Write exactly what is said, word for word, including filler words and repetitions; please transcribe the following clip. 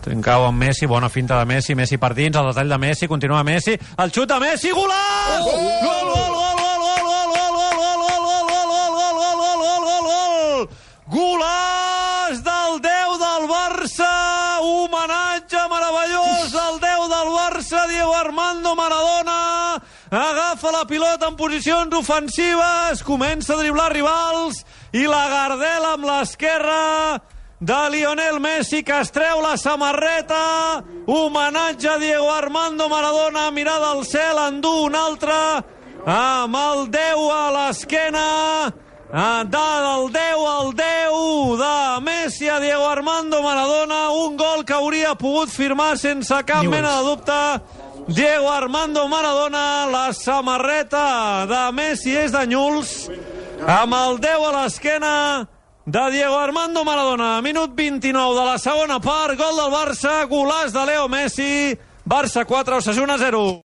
Trincao amb Messi, bona finta de Messi, Messi per dins, el detall de Messi, continua Messi, el xut de Messi, golaç! Gol, gol, gol, gol, gol, gol, gol, gol, gol, gol, gol, gol, gol, golaç del deu del Barça, homenatge meravellós al deu del Barça, Diego Armando Maradona, agafa la pilota en posicions ofensives, comença a driblar rivals i la gardela amb l'esquerra de Lionel Messi, que es treu la samarreta, homenatge a Diego Armando Maradona, mirada al cel, endú un altre, amb el deu a l'esquena, del deu al deu de Messi a Diego Armando Maradona, un gol que hauria pogut firmar sense cap mena de dubte Diego Armando Maradona. La samarreta de Messi és de Nyuls, amb el deu a l'esquena de Diego Armando Maradona. Minut vint-i-nou de la segona part, gol del Barça, golaç de Leo Messi, Barça quatre, Osasuna zero.